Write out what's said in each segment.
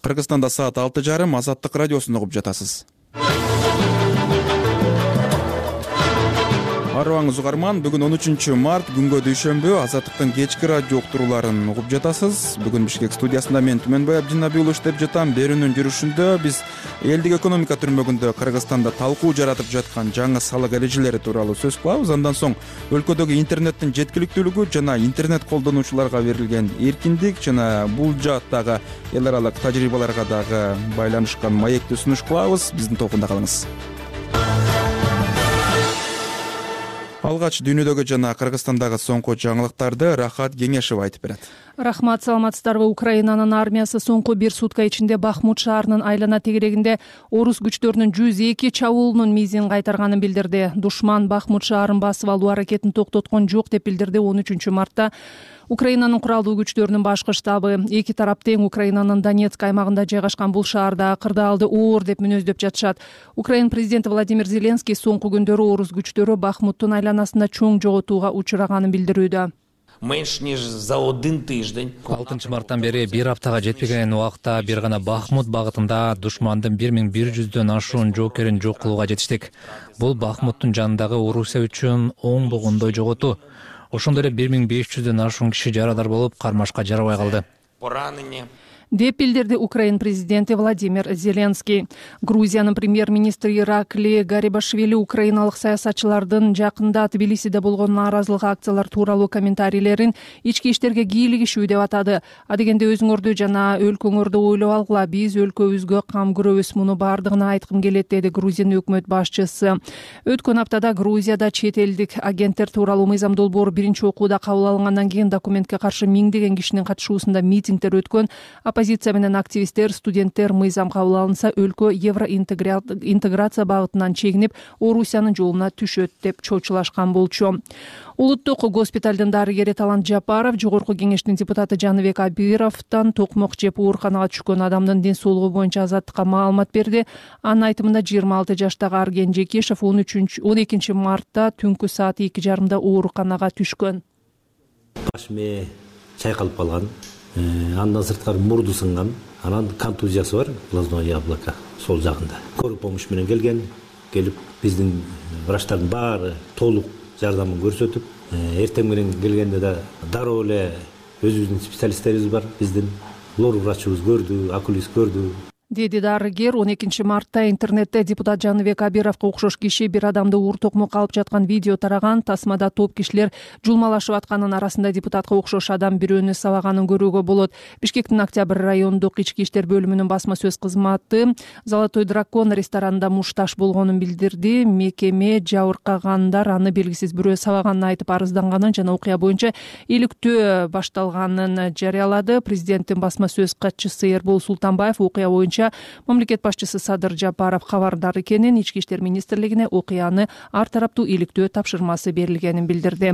Кыргызстанда саат 6:30 Азаттык радиосун угуп жатасыз. Арыбаңыз угарман, бүгүн 13 март күнгө дүйшөмбү, Азаттыктын кечки радио уктурууларын угуп жатасыз. Бүгүн Бишкек студиясында мен Түмөнбай Абдинабиулов иштеп жатам. Берүүнүн жүрүшүндө биз элдик экономика түрмөгүндө Кыргызстанда талкуу жаратып жаткан жаңы салык эрежелери тууралуу сөз кылабыз. Андан соң өлкөдөгү интернеттин жеткиликтүүлүгү жана интернет колдонуучуларга берилген эркиндик жана бул жааттагы эл аралык тажрыйбаларга дагы байланышкан маекти сунуш кылабыз. Биздин тобунда калыңыз. Алгач дүйнөдөгү жана Кыргызстандагы соңку жаңылыктарды Рахат Кеңешева айтып берет. Рахмат, саламатсыздарбы. Украинанын армиясы соңку бир сутка ичинде Бахмут шаарынын айлана тегерегинде орус күчтөрүнүн 102 чабуулунун мизин кайтарганын билдирди. Душман Бахмут шаарын басып алуу аракетин токтоткон жок деп билдирди 13 мартта Украинанын куралдуу күчтөрүнүн башкы штабы. Эки тарап тең Украинанын Донецк аймагында жайгашкан бул шаарда кырдаалды оор деп мүнөздөп жатышат. Украин президенти Владимир Зеленский соңку күндөрү орус күчтөрү Бахмуттун айланасында чоң жоготууга учураганын билдирүүдө. Менш ніж за 1 тиждень. 6 марттан бери бир аптага жетпеген убакта бир гана Бахмут багытында душмандын 1100дөн ашуун жоокерин жок кылууга жетиштик. Бул Бахмуттун жанындагы Орусия үчүн оңбогондой жоготуу. Ошондой эле 1500дөн ашуун киши жарадар болуп, кармашка жарабай калды. Поранені. Деп билдирди Украин президенти Владимир Зеленский. Грузиянын премьер-министри Иракли Гарибашвили украиналык саясатчылардын жакында Тбилисиде болгон нааразылык акциялар тууралуу комментарийлерин ички иштерге кийлигишүү деп атады. Адегенде өзүңөрдү жана өлкөңөрдү ойлоп алгыла, биз өлкөбүзгө кам көрөбүз, муну бардыгына айткым келет, деди Грузиянын өкмөт башчысы. Өткөн аптада Грузияда чет элдик агенттер тууралуу мыйзам долбоору биринчи окууда кабыл алынгандан кийин документке каршы миңдеген кишинин катышуусунда митингдер өткөн. Оппозиция менен активисттер, студенттер мыйзам кабыл алынса, өлкө евроинтеграция багытынан чегинип, Орусиянын жолуна түшөт деп чочулашкан болчу. Улуттук госпиталдын дарыгери Талант Жапаров жогорку кеңештин депутаты Жаныбек Абировдон токмок жеп ооруканага түшкөн адамдын ден соолугу боюнча Азаттыкка маалымат берди. Анын айтымында 26 жаштагы Арген Жекешев 12 мартта түнкү саат 2:30 ооруканага түшкөн. Башыме чайкалып калган. Андан сырткары мурду сынган, анан контузиясы бар, глазное яблоко сол жагында. Скорый помощь менен келип биздин врачтардын баары толук жардамын көрсөтүп, эртең менен келгенде да дароо эле өзүбүздүн специалисттерибиз бар, биздин лор врачыбыз көрдү, окулист көрдү. Деди дарыгер 12 мартта интернетте депутат Жаныбек Абировго окшош киши бир адамды уур токмок алып жаткан видео тараган. Тасмада топ кишилер жулмалашып атканын арасында депутатка окшош адам бирөөнү сабаганын көрүүгө болот. Бишкектин Октябрь райондук ички иштер бөлүмүнүн басма сөз кызматы Золотой дракон ресторанында мушташ болгонун билдирди. Мекеме жабыркагандар аны белгисиз бирөө сабаганын айтып арызданганын жана окуя боюнча иликтөө башталганын жарыялады. Президенттин басма сөз катчысы Эрбол Султанбаев окуя боюнча мамлекет башчысы Садыр Жапаров кабардар экенин, ички иштер министрлигине окуяны ар тараптуу иликтөө тапшырмасы берилгенин билдирди.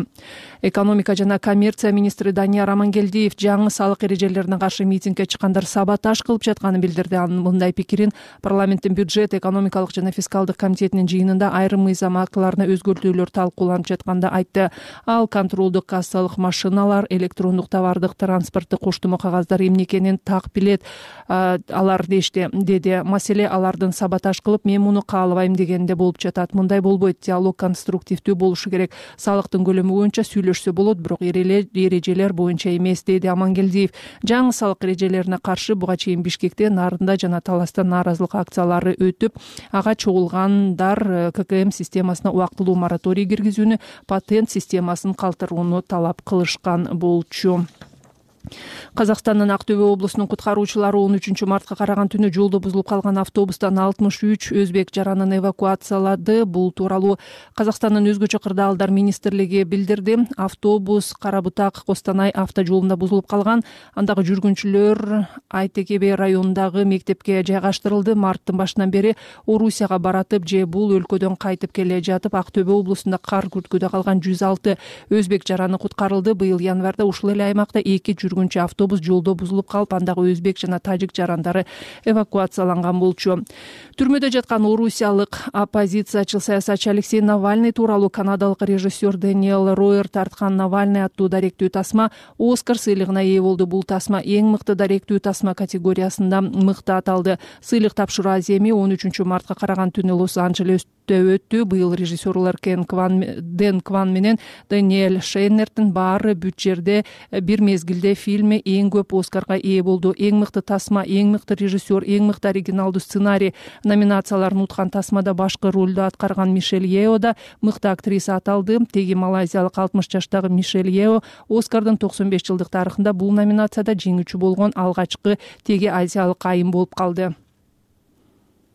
Экономика жана коммерция министри Данияр Амангелдиев жаңы салык эрежелерине каршы митингге чыккандар саботаж кылып жатканын билдирди. Анын мындай пикирин парламенттин бюджет, экономикалык жана фискалдык комитетинин жыйынында айрым мыйзам актыларына өзгөртүүлөр талкууланып жатканда айтты. Ал контролдук кассалык машиналар, электрондук товардык транспорттук коштомо кагаздар эмне экенин так билет алар деди. Маселе алардын саботаж кылып, мен муну каалабайм дегенде болуп жатат. Мындай болбойт, диалог конструктивдүү болушу керек. Салыктын көлөмү боюнча сүйлөшсө болот, бирок эрежелер боюнча эмес, деди Амангелдиев. Жаңы салык эрежелерине каршы буга чейин Бишкекте, Нарында жана Таласта нааразылык акциялары өтүп, ага чогулгандар ККМ системасына убактылуу мораторий киргизүүнү, патент системасын калтырууну талап кылышкан болчу. Казакстандын Актөбө облусунун куткаруучулары 13 мартка караган түнү жолдо бузулуп калган автобустан 63 өзбек жаранын эвакуациялады. Бул тууралуу Казакстандын өзгөчө кырдаалдар министрлиги билдирди. Автобус Карабутак Костанай автожолунда бузулуп калган. Андагы жүргүнчүлөр Айтекебе районундагы мектепке жайгаштырылды. Марттын башынан бери Орусияга баратып же бул өлкөдөн кайтып келе жатып Актөбө облусунда кар күрткүдө калган 106 өзбек жараны куткарылды. Быйыл январда ушул эле аймакта 2 жүргүнчү жүргүнчү автобус жолдо бузулуп калып, андагы өзбек жана тажик жарандары эвакуацияланган болчу. Түрмөдө жаткан орусиялык оппозициячыл саясатчы Алексей Навальный тууралуу канадалык режиссер Дэниел Ройер тарткан «Навальный» аттуу даректүү тасма Оскар сыйлыгына ээ болду. Бул тасма эң мыкты даректүү тасма категориясында мыкты аталды. Сыйлык тапшыруу аземи 13 мартка караган түнү Лос-Анджелестө өттү. Быйыл режиссерлор Дэн Кван менен Даниэль Шейнердин баары бүт жерде бир мезгилде фильми эң көп Оскарга ээ болду. Эң мыкты тасма, эң мыкты режиссер, эң мыкты оригиналдуу сценарий номинацияларын уткан тасмада башкы ролду аткарган Мишель Ео да мыкты актриса аталды. Теги малайзиялык 60 жаштагы Мишель Ео Оскардын 95 жылдык тарыхында бул номинацияда жеңүүчү болгон алгачкы теги азиялык айым болуп калды.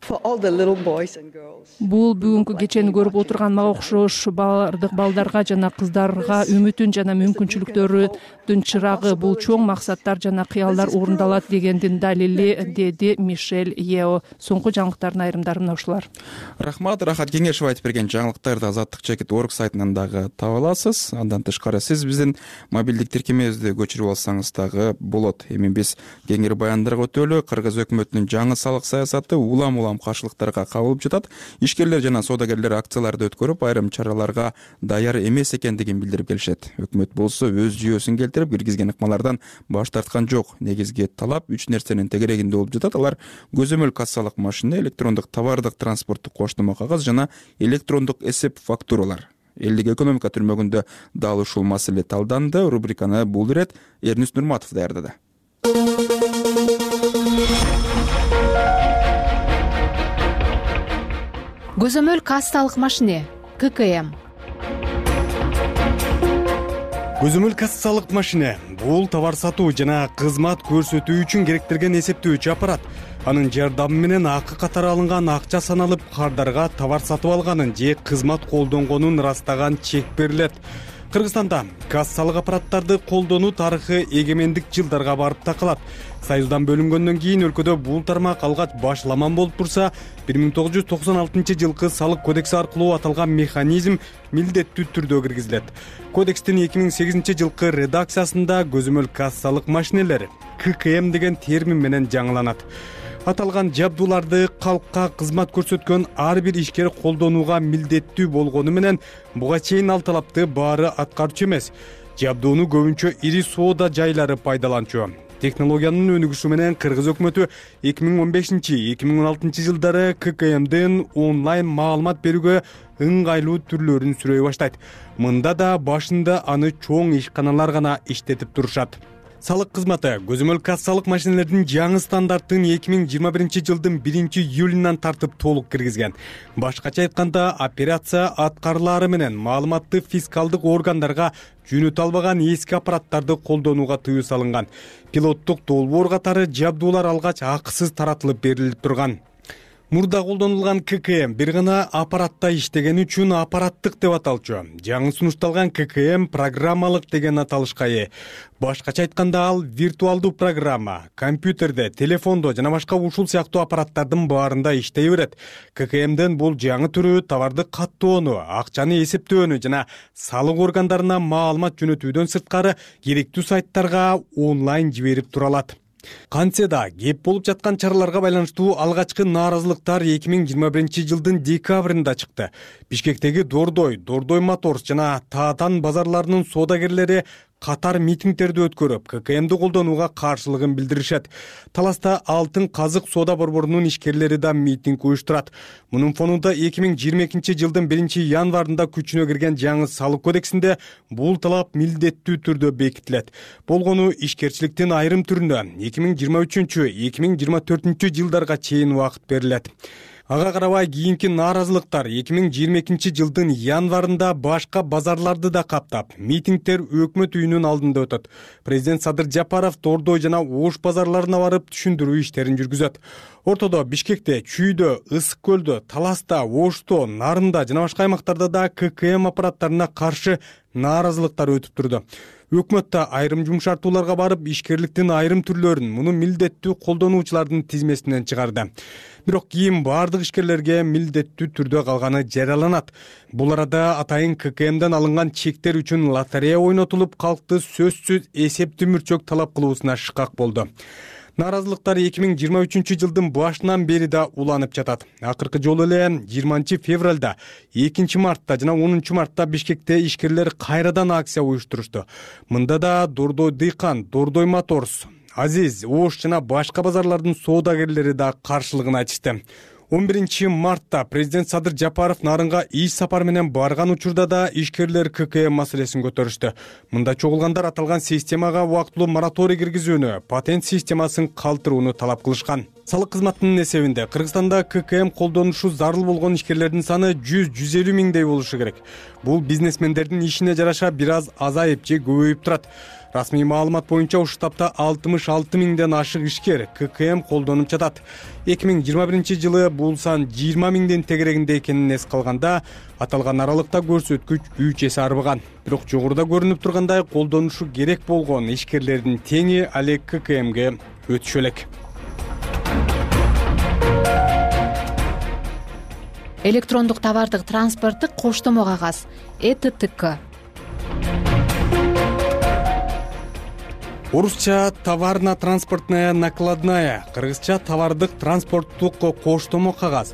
Бул бүгүнкү кечени көрүп отурган мага окшош бардык балдарга жана кыздарга үмүтүн жана мүмкүнчүлүктөрүнүн чырагы. Бул чоң максаттар жана кыялдар орундалат дегендин далили, деди Мишель Ео. Соңку жаңылыктардын айрымдары мына ушулар. Рахмат, Рахат Кеңешев айтып берген жаңылыктарды Азаттык.org сайтынан дагы таба аласыз. Андан тышкары сиз биздин мобилдик тиркемебизди көчүрүп алсаңыз дагы болот. Эми биз кеңири баяндарга өтөлү. Кыргыз өкмөтүнүн жаңы салык саясаты улам каршылыктарга кабылып жатат. Ишкерлер жана соодагерлер акцияларды өткөрүп, айрым чараларга даяр эмес экендигин билдирип келишет. Өкмөт болсо өз жүйөсүн келтирип, киргизген ыкмалардан баш тарткан жок. Негизги талап 3 нерсенин тегерегинде болуп жатат. Алар көзөмөл кассалык машина, электрондук товардык транспорттук коштомо кагаз жана электрондук эсеп фактуралар. Элдик экономика түрмөгүндө дал ушул маселе талданды. Рубриканы бул ирет Эрнис Нурматов даярдады. Көзөмөл кассалык машине ККМ. Көзөмөл кассалык машине бул товар сатуу жана кызмат көрсөтүү үчүн керектелген эсептөөчү аппарат. Анын жардамы менен акы катары алынган акча саналып, кардарга товар сатып алганын же кызмат колдонгонун ырастаган чек берилет. Кыргызстанда кассалык аппараттарды колдонуу тарыхы эгемендик жылдарга барып такалат. Союздан бөлүнгөндөн кийин өлкөдө бул тармак алгач башламан болуп турса, 1996 жылкы салык кодекси аркылуу аталган механизм милдеттүү түрдө киргизилет. Кодекстин 2008 жылкы редакциясында көзөмөл кассалык машинелер ККМ деген термин менен жаңыланат. Аталган жабдууларды калкка кызмат көрсөткөн ар бир ишкер колдонууга милдеттүү болгону менен буга чейин ал талапты баары аткарчу эмес. Жабдууну көбүнчө ири соода жайлары пайдаланчу. Технологиянын өнүгүшү менен Кыргыз өкмөтү 2015-2016 жылдары ККМдин онлайн маалымат берүүгө ыңгайлуу түрлөрүн сүрөй баштайт. Мында да башында аны чоң ишканалар гана иштетип турушат. Салык кызматы көзөмөл кассалык машинелердин жаңы стандарттын 2021 жылдын 1 июлунан тартып толук киргизген. Башкача айтканда, операция аткарылары менен маалыматты фискалдык органдарга жөнөтө албаган эски аппараттарды колдонууга тыюу салынган. Пилоттук долбоор катары жабдуулар алгач акысыз таратылып берилип турган. Мурда колдонулган ККМ бир гана аппаратта иштеген үчүн аппараттык деп аталчу. Жаңы сунушталган ККМ программалык деген аталышка ээ. Башкача айтканда ал виртуалдуу программа, компьютерде, телефондо жана башка ушул сыяктуу аппараттардын баарында иштей берет. ККМден бул жаңы түрү товарды каттоону, акчаны эсептөөнү жана салык органдарына маалымат жөнөтүүдөн сырткары керектүү сайттарга онлайн жиберип тура алат. Кантсе да кеп болуп жаткан чараларга байланыштуу алгачкы нааразылыктар 2021 жылдын декабрында чыкты. Бишкектеги Дордой Моторс жана Таатан базарларынын соодагерлери катар митингдерди өткөрүп, ККМди колдонууга каршылыгын билдиришет. Таласта Алтын Казык соода борборунун ишкерлери да митинг уюштурат. Мунун фонунда 2022 жылдын 1 январында күчүнө кирген жаңы салык кодексинде бул талап милдеттүү түрдө бекитилет. Болгону ишкерчиликтин айрым түрүнө 2023-2024 жылдарга чейин убакыт берилет. Ага карабай кийинки нааразылыктар 2022 жылдын январында башка базарларды да каптап, митингдер өкмөт үйүнүн алдында өтөт. Президент Садыр Жапаров Дордой жана Ош базарларына барып түшүндүрүү иштерин жүргүзөт. Ортодо, Бишкекте, Чүйдө, Ысык көлдө, Таласта, Ошто, Нарында жана башка аймактарда да ККМ аппараттарына каршы нааразылыктар өтүп турду. Өкмөт да айрым жумшартууларга барып, ишкерликтин айрым түрлөрүн муну милдеттүү колдонуучулардын тизмесинен чыгарды. Бирок кийин баардык ишкерлерге милдеттүү түрдө калганы жарыяланат. Бул арада атайын ККМден алынган чектер үчүн лотерея ойнотулуп, калкты сөзсүз эсептүү мүрчөк талап кылуусуна шыкак болду. Нааразылыктар 2023 жылдын башынан бери да уланып жатат. Акыркы жолу эле 20 февралда, 2 мартта жана 10 мартта Бишкекте ишкерлер кайрадан акция уюштурушту. Мында да Дордой Дыйкан, Дордой Моторс, Азиз, Ош жана башка базарлардын соодагерлери да каршылыгын айтышты. 11 мартта президент Садыр Жапаров Нарынга иш сапар менен барган учурда да ишкерлер ККМ маселесин көтөрүштү. Мында чогулгандар аталган системага убактылуу мораторий киргизүүнү, патент системасын калтырууну талап кылышкан. Салык кызматынын эсебинде Кыргызстанда ККМ колдонушу зарыл болгон ишкерлердин саны 100-150 миңдей болушу керек. Бул бизнесмендердин ишине жараша бир аз азайып же көбөйүп турат. Расмий маалымат боюнча ушул таапта 66 миңден ашык ишкер ККМ колдонуп жатат. 2021 жылы бул сан 20 миңдин тегерегинде экенин эске алганда, аталган аралыкта көрсөткүч 3 эсе арбыган. Бирок жогоруда көрүнүп тургандай колдонушу керек болгон ишкерлердин теңи алек ККМге өтүшө элек. Электрондук товардык транспорттук коштомо кагаз ЭТТК. Орусча товарно-транспортная накладная, кыргызча товардык транспорттук коштомо кагаз.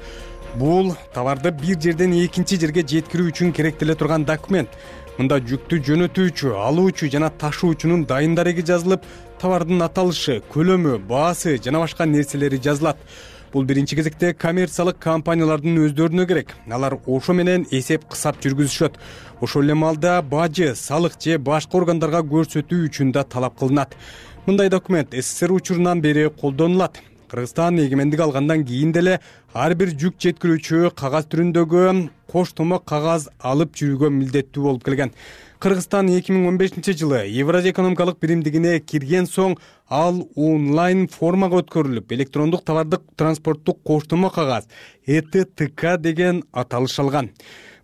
Бул товарды бир жерден экинчи жерге жеткирүү үчүн керектеле турган документ. Мында жүктү жөнөтүүчү, алуучу жана ташуучунун дайын дареги жазылып, товардын аталышы, көлөмү, баасы жана башка нерселери жазылат. Бул биринчи кезекте коммерциялык компаниялардын өздөрүнө керек. Алар ошо менен эсеп-кысап жүргүзүшөт. Ошол эле маалда бажы, салык же башка органдарга көрсөтүү үчүн да талап кылынат. Мындай документ СССР учурунан бери колдонулат. Кыргызстан эгемендик алгандан кийин деле ар бир жүк жеткирүүчү кагаз түрүндөгү коштомо кагаз алып жүрүүгө милдеттүү болуп келген. Кыргызстан 2015 жылы Евразия экономикалык биримдигине кирген соң ал онлайн формага өткөрүлүп, электрондук товардык транспорттук коштомо кагаз ЭТТК деген аталыш алган.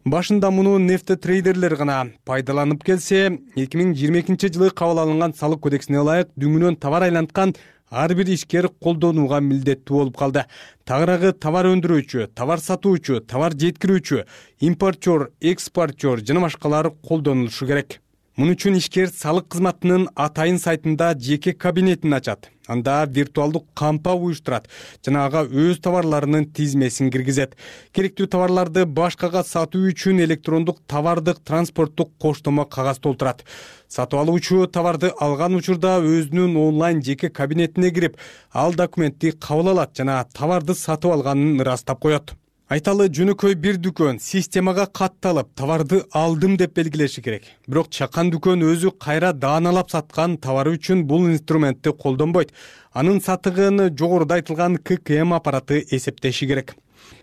Башында муну нефтетрейдерлер гана пайдаланып келсе, 2022 жылы кабыл алынган салык кодексине ылайык дүңүнөн товар айланткан ар бир ишкер колдонууга милдеттүү болуп калды. Тагыраагы товар өндүрүүчү, товар сатуучу, товар жеткирүүчү, импортер, экспортер жана башкалар колдонулушу керек. Муну үчүн ишкер салык кызматынын атайын сайтында жеке кабинетин ачат. Анда виртуалдык кампа уюштурат жана ага өз товарларынын тизмесин киргизет. Керектүү товарларды башкага сатуу үчүн электрондук товардык транспорттук коштомо кагаз толтурат. Сатып алуучу товарды алган учурда өзүнүн онлайн жеке кабинетине кирип, ал документти кабыл алат жана товарды сатып алганын ырастап коет. Айталы жөнөкөй бир дүкөн системага катталып, товарды алдым деп белгилеши керек. Бирок чакан дүкөн өзү кайра дааналап саткан товары үчүн бул инструментти колдонбойт. Анын сатыгын жогоруда айтылган ККМ аппараты эсептеши керек.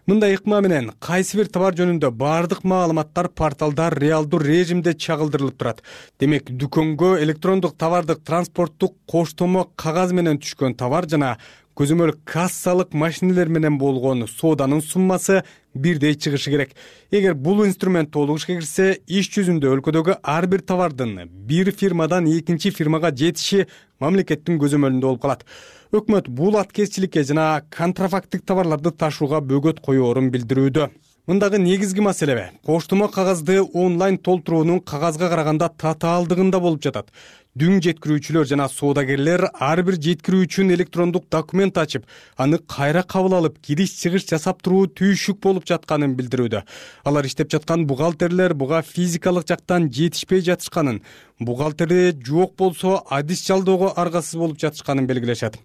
Мындай ыкма менен кайсы бир товар жөнүндө баардык маалыматтар порталда реалдуу режимде чагылдырылып турат. Демек, дүкөнгө электрондук товардык транспорттук коштомо кагаз менен түшкөн товар жана көзөмөл кассалык машинелер менен болгон сооданын суммасы бирдей чыгышы керек. Эгер бул инструмент толук ишке кирсе, иш жүзүндө өлкөдөгү ар бир товардын бир фирмадан экинчи фирмага жетиши мамлекеттин көзөмөлүндө болуп калат. Өкмөт бул аткезчиликке жана контрафакттык товарларды ташууга бөгөт коёорун билдирүүдө. Мындагы негизги маселе коштомо кагазды онлайн толтуруунун кагазга караганда татаалдыгында болуп жатат. Дүң жеткирүүчүлөр жана соодагерлер ар бир жеткирүү үчүн электрондук документ ачып, аны кайра кабыл алып, кириш-чыгыш жасап туруу түйшүк болуп жатканын билдирүүдө. Алар иштеп жаткан бухгалтерлер буга физикалык жактан жетишпей жатышканын, бухгалтери жок болсо адис жалдоого аргасыз болуп жатышканын белгилешет.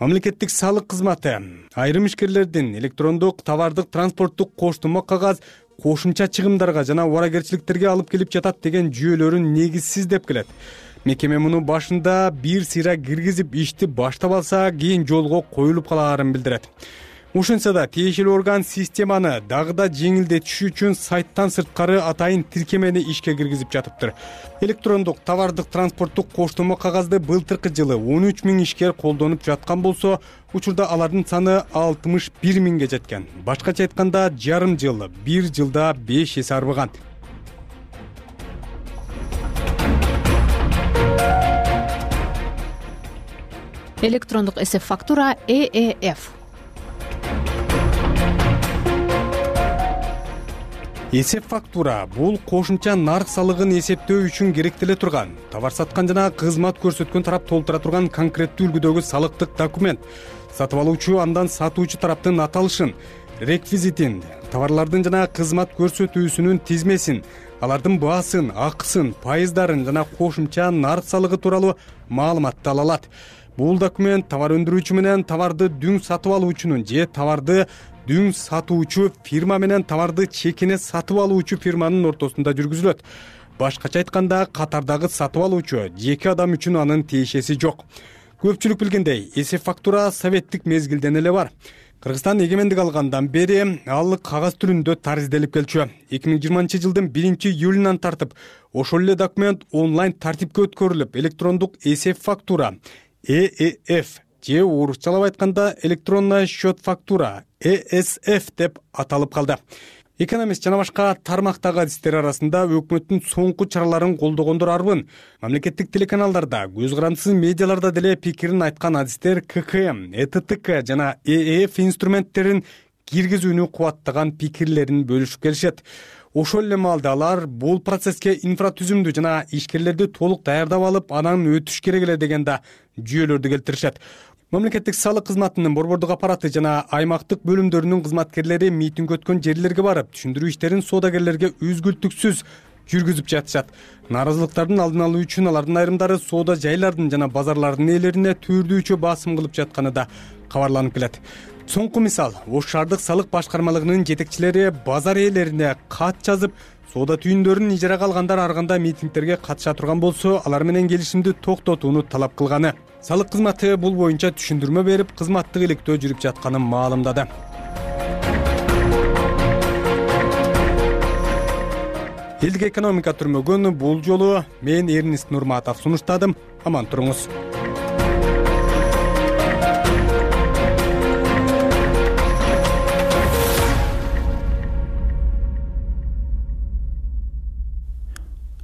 Мамлекеттик салык кызматы айрым ишкерлердин электрондук товардык транспорттук коштомо кагаз кошумча чыгымдарга жана убаракерчиликтерге алып келип жатат деген жүйөлөрүн негизсиз деп келет. Мекеме муну башында бир сыйра киргизип ишти баштап алса, кийин жолго коюлуп калаарын билдирет. Ошентсе да тиешелүү орган системаны дагы да жеңилдетиш үчүн сайттан сырткары атайын тиркемени ишке киргизип жатыптыр. Электрондук товардык транспорттук коштомо кагазды былтыркы жылы 13 миң ишкер колдонуп жаткан болсо, учурда алардын саны 61 миңге жеткен. Башкача айтканда, жарым жыл, бир жылда 5 эсе арбыган. электрондук эсеп фактура EEF. Эсеп фактура бул кошумча нарк салыгын эсептөө үчүн керектеле турган, товар саткан жана кызмат көрсөткөн тарап толтура турган конкреттүү үлгүдөгү салыктык документ. Сатып алуучу андан сатуучу тараптын аталышын, реквизитин, товарлардын жана кызмат көрсөтүүсүнүн тизмесин, алардын баасын, акысын, пайыздарын жана кошумча нарк салыгы тууралуу маалыматты ала алат. Бул документ товар өндүрүүчү менен товарды дүң сатып алуучунун же товарды дүң сатуучу фирма менен товарды чекине сатып алуучу фирманын ортосунда жүргүзүлөт. Башкача айтканда, катардагы сатып алуучу жеке адам үчүн анын тиешеси жок. Көпчүлүк билгендей, эсеп фактура советтик мезгилден эле бар. Кыргызстан эгемендик алгандан бери ал кагаз түрүндө таризделип келчү. 2020-жылдын 1-июлунан тартып, ошол эле документ онлайн тартипке өткөрүлүп, электрондук эсеп фактура EEF же орусчалап айтканда электронная счет фактура ESF деп аталып калды. Экономист жана башка тармактагы адистер арасында өкмөттүн соңку чараларын колдогондор арбын. Мамлекеттик телеканалдарда, көз карандысыз медиаларда деле пикирин айткан адистер ККМ, ЭТТК жана EEF инструменттерин киргизүүнү кубаттаган пикирлерин бөлүшүп келишет. Ошол эле маалда алар бул процесске инфратүзүмдү жана ишкерлерди толук даярдап алып, анан өтүш керек эле деген да жүйөлөрдү келтиришет. Мамлекеттик салык кызматынын борбордук аппараты жана аймактык бөлүмдөрүнүн кызматкерлери митинг өткөн жерлерге барып, түшүндүрүү иштерин соодагерлерге үзгүлтүксүз жүргүзүп жатышат. Нааразылыктардын алдын алуу үчүн алардын айрымдары соода жайлардын жана базарлардын ээлерине түрдүүчө басым кылып жатканы да кабарланып келет. Соңку мисал, Ош шаардык салык башкармалыгынын жетекчилери базар ээлерине кат жазып, соода түйүндөрүн ижарага алгандар арганда митингтерге катыша турган болсо, алар менен келишимди токтотууну талап кылганы. Салык кызматы бул боюнча түшүндүрмө берип, кызматтык иликтөө жүрүп жатканын маалымдады. Элдик экономика түрмөгөн бул жолу мен Эрнист Нурматов сунуштадым. Аман туруңуз.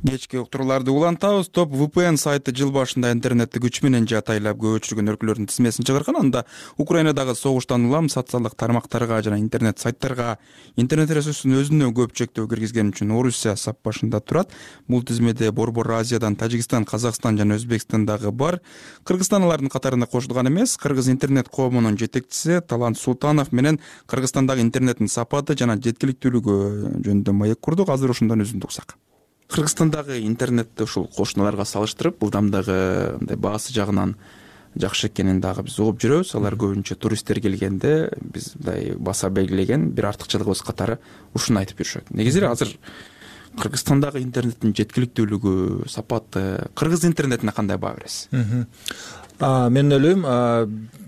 Кечки уктурууларды улантабыз. Топ VPN сайты жыл башында интернетти күч менен жатайлап көчүргөн өлкөлөрдүн тизмесин чыгарган. Анда Украинадагы согуштан улам социалдык тармактарга жана интернет сайттарга интернет ресурсун өзүнө көп чектөө киргизген үчүн Орусия сап башында турат. Бул тизмеде Борбор Азиядан Тажикстан, Казакстан жана Өзбекстан дагы бар. Кыргызстан алардын катарына кошулган эмес. Кыргыз интернет коомунун жетекчиси Талант Султанов менен Кыргызстандагы интернеттин сапаты жана жеткиликтүүлүгү жөнүндө маек курдук. Азыр ошондон өзүндү уксак. Кыргызстандагы интернетти ушул кошуналарга салыштырып, булдамдагы мындай баасы жагынан жакшы экенин дагы биз угуп жүрөбүз. Алар көбүнчө туристтер келгенде биз мындай баса белгилеген бир артыкчылыгыбыз катары ушуну айтып жүрүшөт. Негизи азыр Кыргызстандагы интернеттин жеткиликтүүлүгү, сапаты, кыргыз интернетине кандай баа бересиз? Мен ойлойм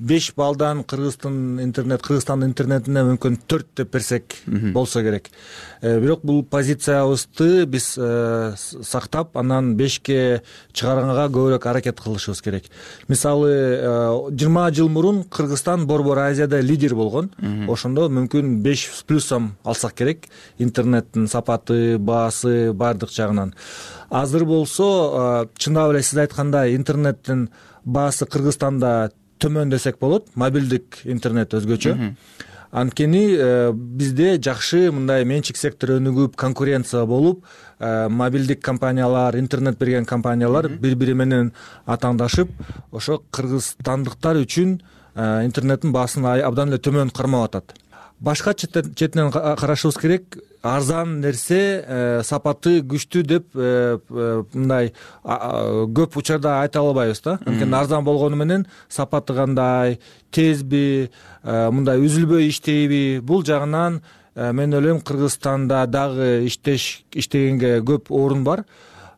5 баллдан Кыргыздын интернетине мүмкүн 4 деп берсек болсо керек. Бирок бул позициябызды биз сактап, анан 5ке чыгарганга көбүрөөк аракет кылышыбыз керек. Мисалы 20 жыл мурун Кыргызстан Борбор Азияда лидер болгон. Ошондо мүмкүн 5+ алсак керек. Интернеттин сапаты, баасы баардык жагынан. Азыр болсо чындап эле сиз айткандай интернеттин баасы Кыргызстанда төмөн десек болот. Мобилдик интернет өзгөчө. Анткени бизде жакшы мындай менчик сектору өнүгүп, конкуренция болуп, мобилдик компаниялар, интернет берген компаниялар бири-бири менен атаандашып, ошо кыргызстандыктар үчүн интернеттин баасын абдан эле төмөн кармап атат. Башка четинен карашыбыз керек. Арзан нерсе сапаты күчтүү деп мындай көп учурда айта албайбыз да. Анткени арзан болгону менен сапаты кандай, тезби, мындай үзүлбөй иштейби? Бул жагынан мен ойлойм Кыргызстанда дагы иштегенге көп орун бар.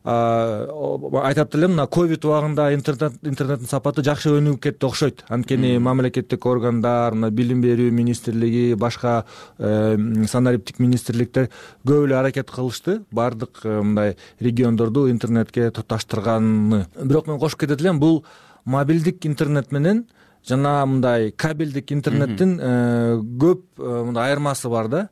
Айтат элем, мына ковид убагында интернеттин сапаты жакшы өнүгүп кетти окшойт. Анткени мамлекеттик органдар, мына билим берүү министрлиги, башка санариптик министрликтер көп эле аракет кылышты баардык мындай региондорду интернетке туташтырганы. Бирок мен кошуп кетет элем, бул мобилдик интернет менен жана мындай кабелдик интернеттин көп мындай айырмасы бар да.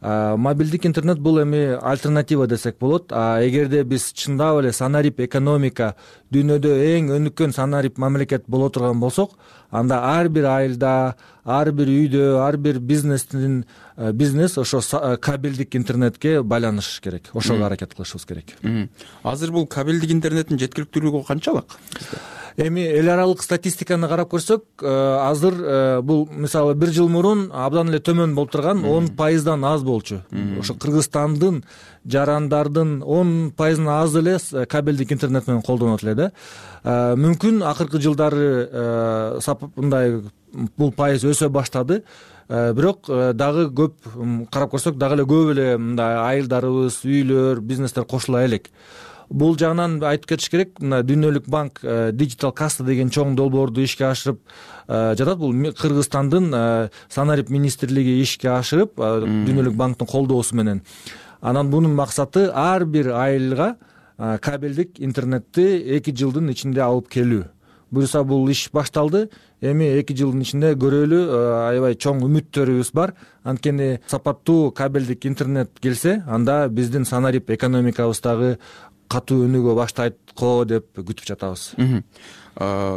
Мобилдик интернет бул эми альтернатива десек болот. Эгерде биз чындап эле санарип экономика дүйнөдө эң өнүккөн санарип мамлекет боло турган болсок, анда ар бир айылда, ар бир үйдө, ар бир бизнес ошо кабелдик интернетке байланышы керек. Ошого аракет кылышыбыз керек. Азыр бул кабелдик интернеттин жеткиликтүүлүгү канчалык? Эми эл аралык статистиканы карап көрсөк, азыр бул мисалы 1 жыл мурун абдан эле төмөн болуп турган 10% аз болчу. Ошо Кыргызстандын жарандардын 10% аз эле кабелдик интернет менен колдонот эле да. Мүмкүн акыркы жылдары мындай бул пайыз өсө баштады. Бирок дагы көп карап көрсөк, дагы эле көп эле мындай айылдарыбыз, үйлөр, бизнестер кошула элек. Бул жагынан айтып кетиш керек, мына Дүйнөлүк банк Digital Kassa деген чоң долбоорду ишке ашырып жатат. Бул Кыргызстандын санарип министрлиги ишке ашырып, Дүйнөлүк банктын колдоосу менен. Анан бунун максаты ар бир айылга кабелдик интернетти 2 жылдын ичинде алып келүү. Буюрса бул иш башталды. Эми 2 жылдын ичинде көрөлү, аябай чоң үмүттөрүбүз бар. Анткени сапаттуу кабелдик интернет келсе, анда биздин санарип экономикабыздагы катуу өнүгө баштайт го деп күтүп жатабыз.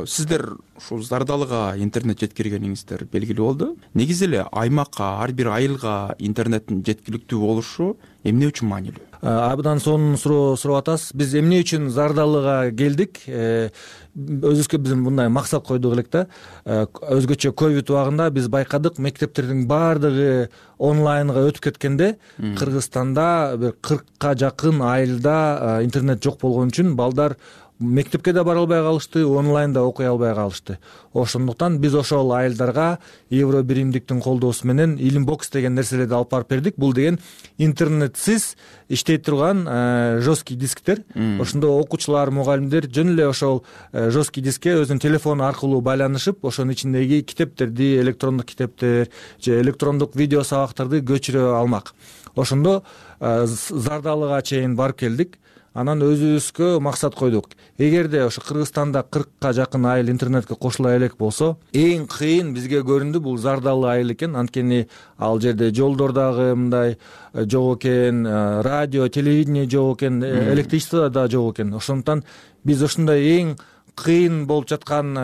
Сиздер ушул Зардалыга интернет жеткиргениңиздер белгилүү болду. Негизи эле аймакка, ар бир айылга интернеттин жеткиликтүү болушу эмне үчүн маанилүү? Абдан сонун суроо сурап атасыз. Биз эмне үчүн Зардалыга келдик? Өзүбүзгө биз мындай максат койдук элек да. Өзгөчө ковид убагында биз байкадык, мектептердин баардыгы онлайнга өтүп кеткенде, Кыргызстанда бир 40ка жакын айылда интернет жок болгон үчүн балдар мектепке да бара албай калышты, онлайнда окуй албай калышты. Ошондуктан биз ошол айылдарга Евро биримдиктин колдоосу менен Илимбокс деген нерселерди алып барып бердик. Бул деген интернетсиз иштей турган жесткий дисктер. Ошондо окуучулар, мугалимдер жөн эле ошол жесткий дискке өзүнүн телефону аркылуу байланышып, ошонун ичиндеги китептерди, электрондук китептер же электрондук видео сабактарды көчүрө алмак. Ошондо Зардалыга чейин барып келдик. Анан өзүбүзгө максат койдук. Эгерде ошо Кыргызстанда 40ка жакын айыл интернетке кошула элек болсо, эң кыйын бизге көрүндү бул Зардалы айыл экен. Анткени ал жерде жолдор дагы мындай жок экен, радио, телевидение жок экен, электричество да жок экен. Ошондуктан биз ошондой эң кыйын болуп жаткан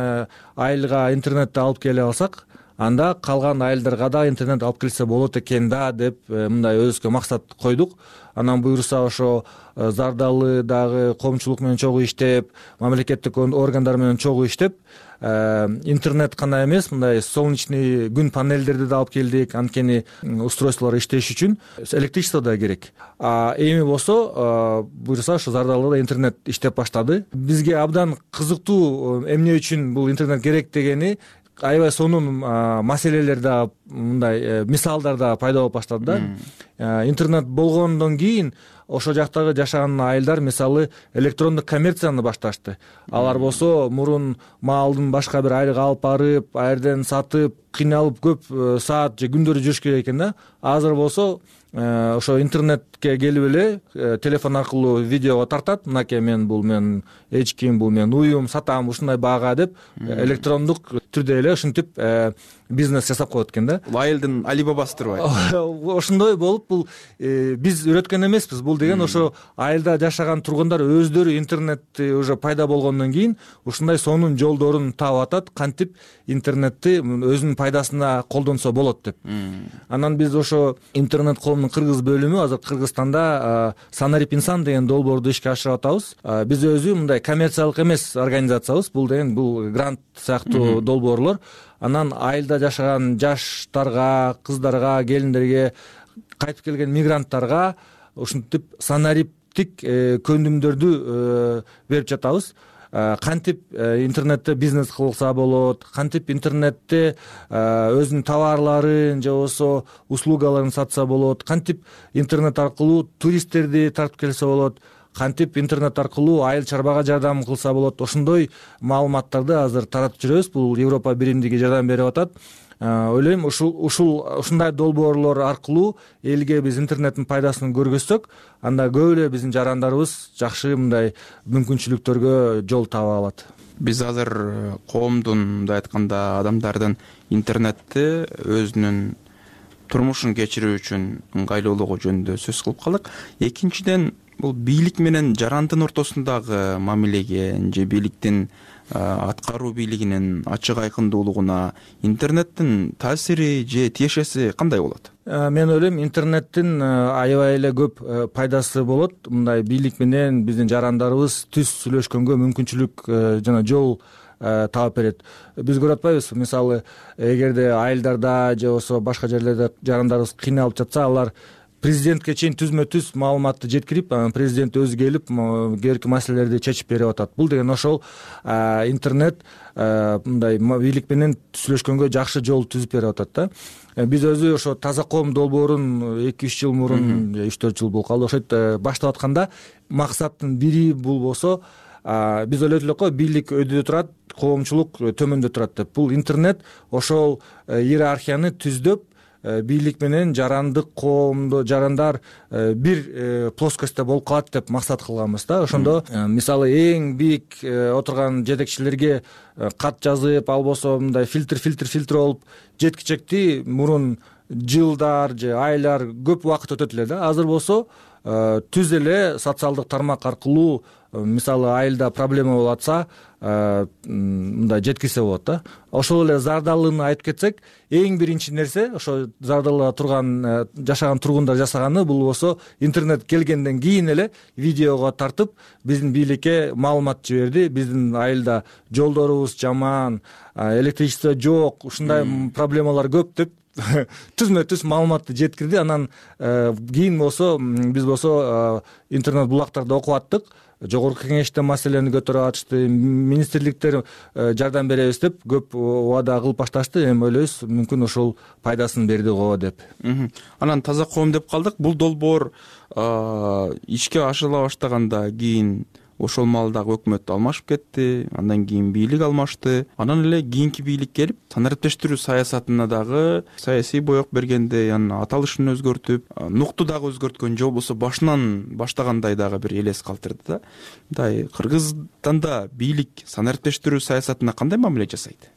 айылга интернетти алып келе алсак, анда калган айылдарга да интернет алып келсе болот экен да деп мындай өзүбүзгө максат койдук. Анан буюрса ошо Зардалы дагы коомчулук менен чогуу иштеп, мамлекеттик органдар менен чогуу иштеп, интернет гана эмес, мындай солнечный күн панелдерди да алып келдик. Анткени устройстволор иштеш үчүн электричество да керек. Эми болсо буюрса ошо Зардалыда интернет иштеп баштады. Бизге абдан кызыктуу эмне үчүн бул интернет керек дегени аябай сонун маселелер да, мындай мисалдар да пайда болуп баштады да. Интернет болгондон кийин ошол жактагы жашаган айылдар мисалы электрондук коммерцияны башташты. Алар болсо мурун маалдын башка бир айылга алып барып, ал жерден сатып, кыйналып көп саат же күндөр жүрүш керек экен да. Азыр болсо ошо интернетке келип эле телефон аркылуу видеого тартат. Мынакей бул мен эч ким, бул мен уюм, сатам ушундай баага деп электрондук түрдө эле ушинтип бизнес жасап коет экен да. Айылдын Алибабасы турбайбы? Ошондой болуп, бул биз үйрөткөн эмеспиз. Бул деген ошо айылда жашаган тургундар өздөрү интернетти уже пайда болгондон кийин ушундай сонун жолдорун таап атат, кантип интернетти өзүнүн пайдасына колдонсо болот деп. Анан биз ошо интернет коомдун кыргыз бөлүмү азыр Кыргызстанда Санарип инсан деген долбоорду ишке ашырып атабыз. Биз өзү мындай коммерциялык эмес организациябыз. Бул деген бул грант сыяктуу долбоорлор. Анан айылда жашаган жаштарга, кыздарга, келиндерге, кайтып келген мигранттарга ушинтип санариптик көндүмдөрдү берип жатабыз. Кантип интернетте бизнес кылса болот, кантип интернетте өзүнүн товарларын же болбосо услугаларын сатса болот, кантип интернет аркылуу туристтерди тартып келсе болот, кантип интернет аркылуу айыл чарбага жардам кылса болот. Ошондой маалыматтарды азыр таратып жүрөбүз. Бул Европа биримдиги жардам берип атат. Ойлойм, ушундай долбоорлор аркылуу элге биз интернеттин пайдасын көргөзсөк, анда көп эле биздин жарандарыбыз жакшы мындай мүмкүнчүлүктөргө жол таба алат. Биз азыр коомдун, мындай айтканда, адамдардын интернетти өзүнүн турмушун кечирүү үчүн ыңгайлуулугу жөнүндө сөз кылып калдык. Экинчиден, бул бийлик менен жарандын ортосундагы мамилеге же бийликтин аткаруу бийлигинин ачык айкындуулугуна интернеттин таасири же тиешеси кандай болот? Мен ойлойм, интернеттин аябай эле көп пайдасы болот. Мындай бийлик менен биздин жарандарыбыз түз сүйлөшкөнгө мүмкүнчүлүк жана жол таап берет. Биз көрүп атпайбызбы, мисалы, эгерде айылдарда же болбосо башка жерлерде жарандарыбыз кыйналып жатса, алар президентке чейин түзмө-түз маалыматты жеткирип, президент өзү келип керекти маселелерди чечип берип атат. Бул деген ошол интернет мындай бийлик менен сүйлөшкөнгө жакшы жол түзүп берип атат да. Биз өзү ошо Таза коом долбоорун 2-3 жыл мурун, 3-4 жыл болуп калды, ошойт баштап атканда максаттын бири бул болсо, биз ойлойт элек го, бийлик өйдө турат, коомчулук төмөндө турат деп. Бул интернет ошол иерархияны түздөп, бийлик менен жарандык коомдо жарандар бир плоскостьта болуп калат деп максат кылганбыз да. Ошондо мисалы эң бийик отурган жетекчилерге кат жазып, албосо мындай фильтр болуп жеткичекти мурун жылдар же айлар көп убакыт өтөт эле да. Азыр болсо түз эле социалдык тармак аркылуу, мисалы, айылда проблема болуп атса, мындай жеткирсе болот да. Ошол эле зардалын айтып кетсек, эң биринчи нерсе ошо зардалда турган жашаган тургундар жасаганы, бул болсо интернет келгенден кийин эле видеого тартып биздин бийликке маалымат жиберди. Биздин айылда жолдорубуз жаман, электричество жок, ушундай проблемалар көп деп түзмө-түз маалыматты жеткирди. Анан кийин болсо биз болсо интернет булактарда окуп аттык. Жогорку кеңеште маселени көтөрүп атышты, министрликтер жардам беребиз деп көп убада кылып башташты. Эми ойлойбуз, мүмкүн ошол пайдасын берди го деп. Анан Таза коом деп калдык. Бул долбоор ишке ашырыла баштаганда кийин ошол маалдагы өкмөт алмашып кетти, андан кийин бийлик алмашты. Анан эле кийинки бийлик келип, санариптештирүү саясатына дагы саясий боек бергендей, анын аталышын өзгөртүп, нукту дагы өзгөрткөн же болбосо башынан баштагандай дагы бир элес калтырды да. Мындай Кыргызстанда бийлик санариптештирүү саясатына кандай мамиле жасайт?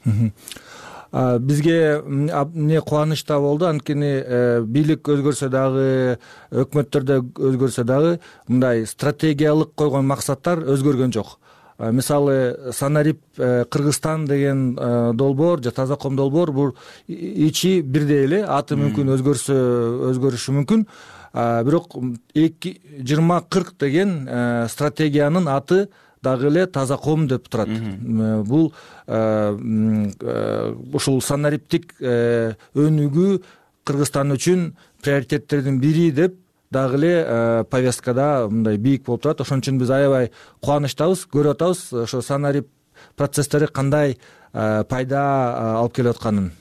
Бизге эмне кубаныч да болду, анткени бийлик өзгөрсө дагы, өкмөттөрдө өзгөрсө дагы мындай стратегиялык койгон максаттар өзгөргөн жок. Мисалы, Санарип Кыргызстан деген долбоор же Таза коом долбоор, бул ичи бирдей эле, аты мүмкүн өзгөрүшү мүмкүн. Бирок 2040 деген стратегиянын аты дагы эле Таза коом деп турат. Бул ушул санариптик өнүгүү Кыргызстан үчүн приоритеттердин бири деп дагы эле повесткада мындай бийик болуп турат. Ошон үчүн биз аябай кубанычтабыз, көрүп атабыз ошо санарип процесстери кандай пайда алып келип атканын.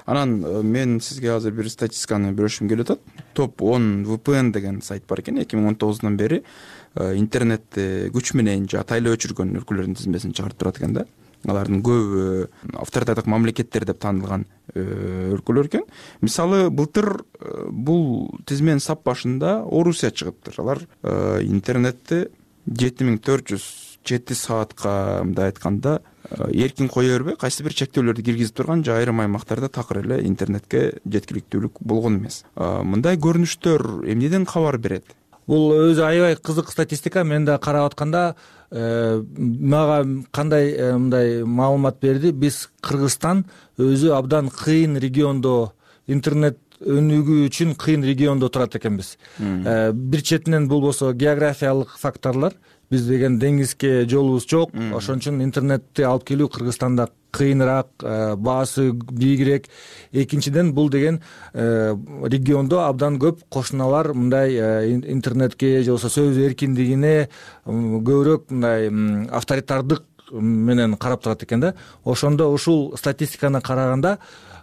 Анан мен сизге азыр бир статистиканы бөлүшүм келип атат. Топ 10 VPN деген сайт бар экен. 2019 бери интернетти күч менен же атайлап өчүргөн өлкөлөрдүн тизмесин чыгарып турат экен да. Алардын көбү авторитардык мамлекеттер деп таанылган өлкөлөр экен. Мисалы, былтыр бул тизменин сап башында Орусия чыгыптыр. Алар интернетти 7407 саатка, мындай айтканда, эркин кое бербей, кайсы бир чектөөлөрдү киргизип турган, же айрым аймактарда такыр эле интернетке жеткиликтүүлүк болгон эмес. Мындай көрүнүштөр эмнеден кабар берет? Бул өзү аябай кызык статистика. Мен да карап атканда мага кандай мындай маалымат берди. Биз Кыргызстан өзү абдан кыйын региондо, интернет өнүгүү үчүн кыйын региондо турат экенбиз. Бир четинен бул болсо географиялык факторлор. Биз деген деңизге жолубуз жок. Ошон үчүн интернетти алып келүү Кыргызстанда кыйыныраак, баасы бийигирээк. Экинчиден, бул деген региондо абдан көп кошуналар мындай интернетке же болбосо сөз эркиндигине көбүрөөк мындай авторитардык менен карап турат экен да. Ошондо ушул статистиканы караганда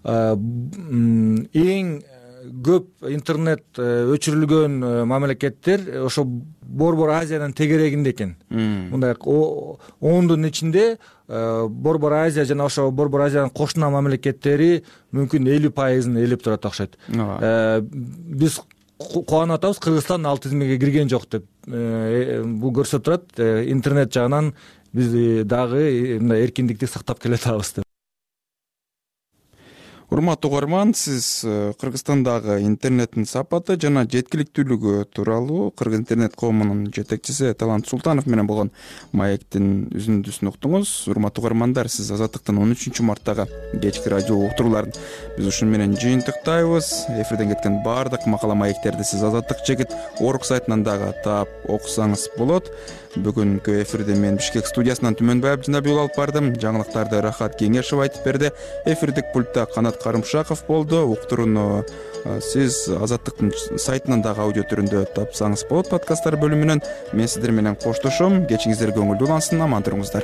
эң көп интернет өчүрүлгөн мамлекеттер ошо Борбор Азиянын тегерегинде экен. Мындай 10дун ичинде Борбор Азия жана ошо Борбор Азиянын кошуна мамлекеттери мүмкүн 50%-ын ээлеп турат окшойт. Биз кубанып атабыз, Кыргызстан ал тизмеге кирген жок деп. Бул көрсөтүп турат, интернет жагынан биз дагы мындай эркиндикти сактап келе атабыз деп. урматтуу угарман, сиз Кыргызстандагы интернеттин сапаты жана жеткиликтүүлүгү тууралуу Кыргыз интернет коомунун жетекчиси Талант Султанов менен болгон маектин үзүндүсүн уктуңуз. Урматтуу угармандар, сиз Азаттыктын 13 марттагы кечки радио уктурууларын биз ушуну менен жыйынтыктайбыз. Эфирден кеткен баардык макала маектерди сиз Азаттык чекит орг сайтынан дагы таап окусаңыз болот. Бүгүнкү эфирди мен Бишкек студиясынан Түмөнбай Абдинабиул алып бардым. Жаңылыктарды Рахат Кеңешев айтып берди. Эфирдик пультта Канат Карымшаков болду. Уктурууну сиз Азаттыктын сайтынан дагы аудио түрүндө тапсаңыз болот. Подкасттар бөлүмүнөн мен сиздер менен коштошом. Кечиңиздер көңүлдүү улансын, аман туруңуздар.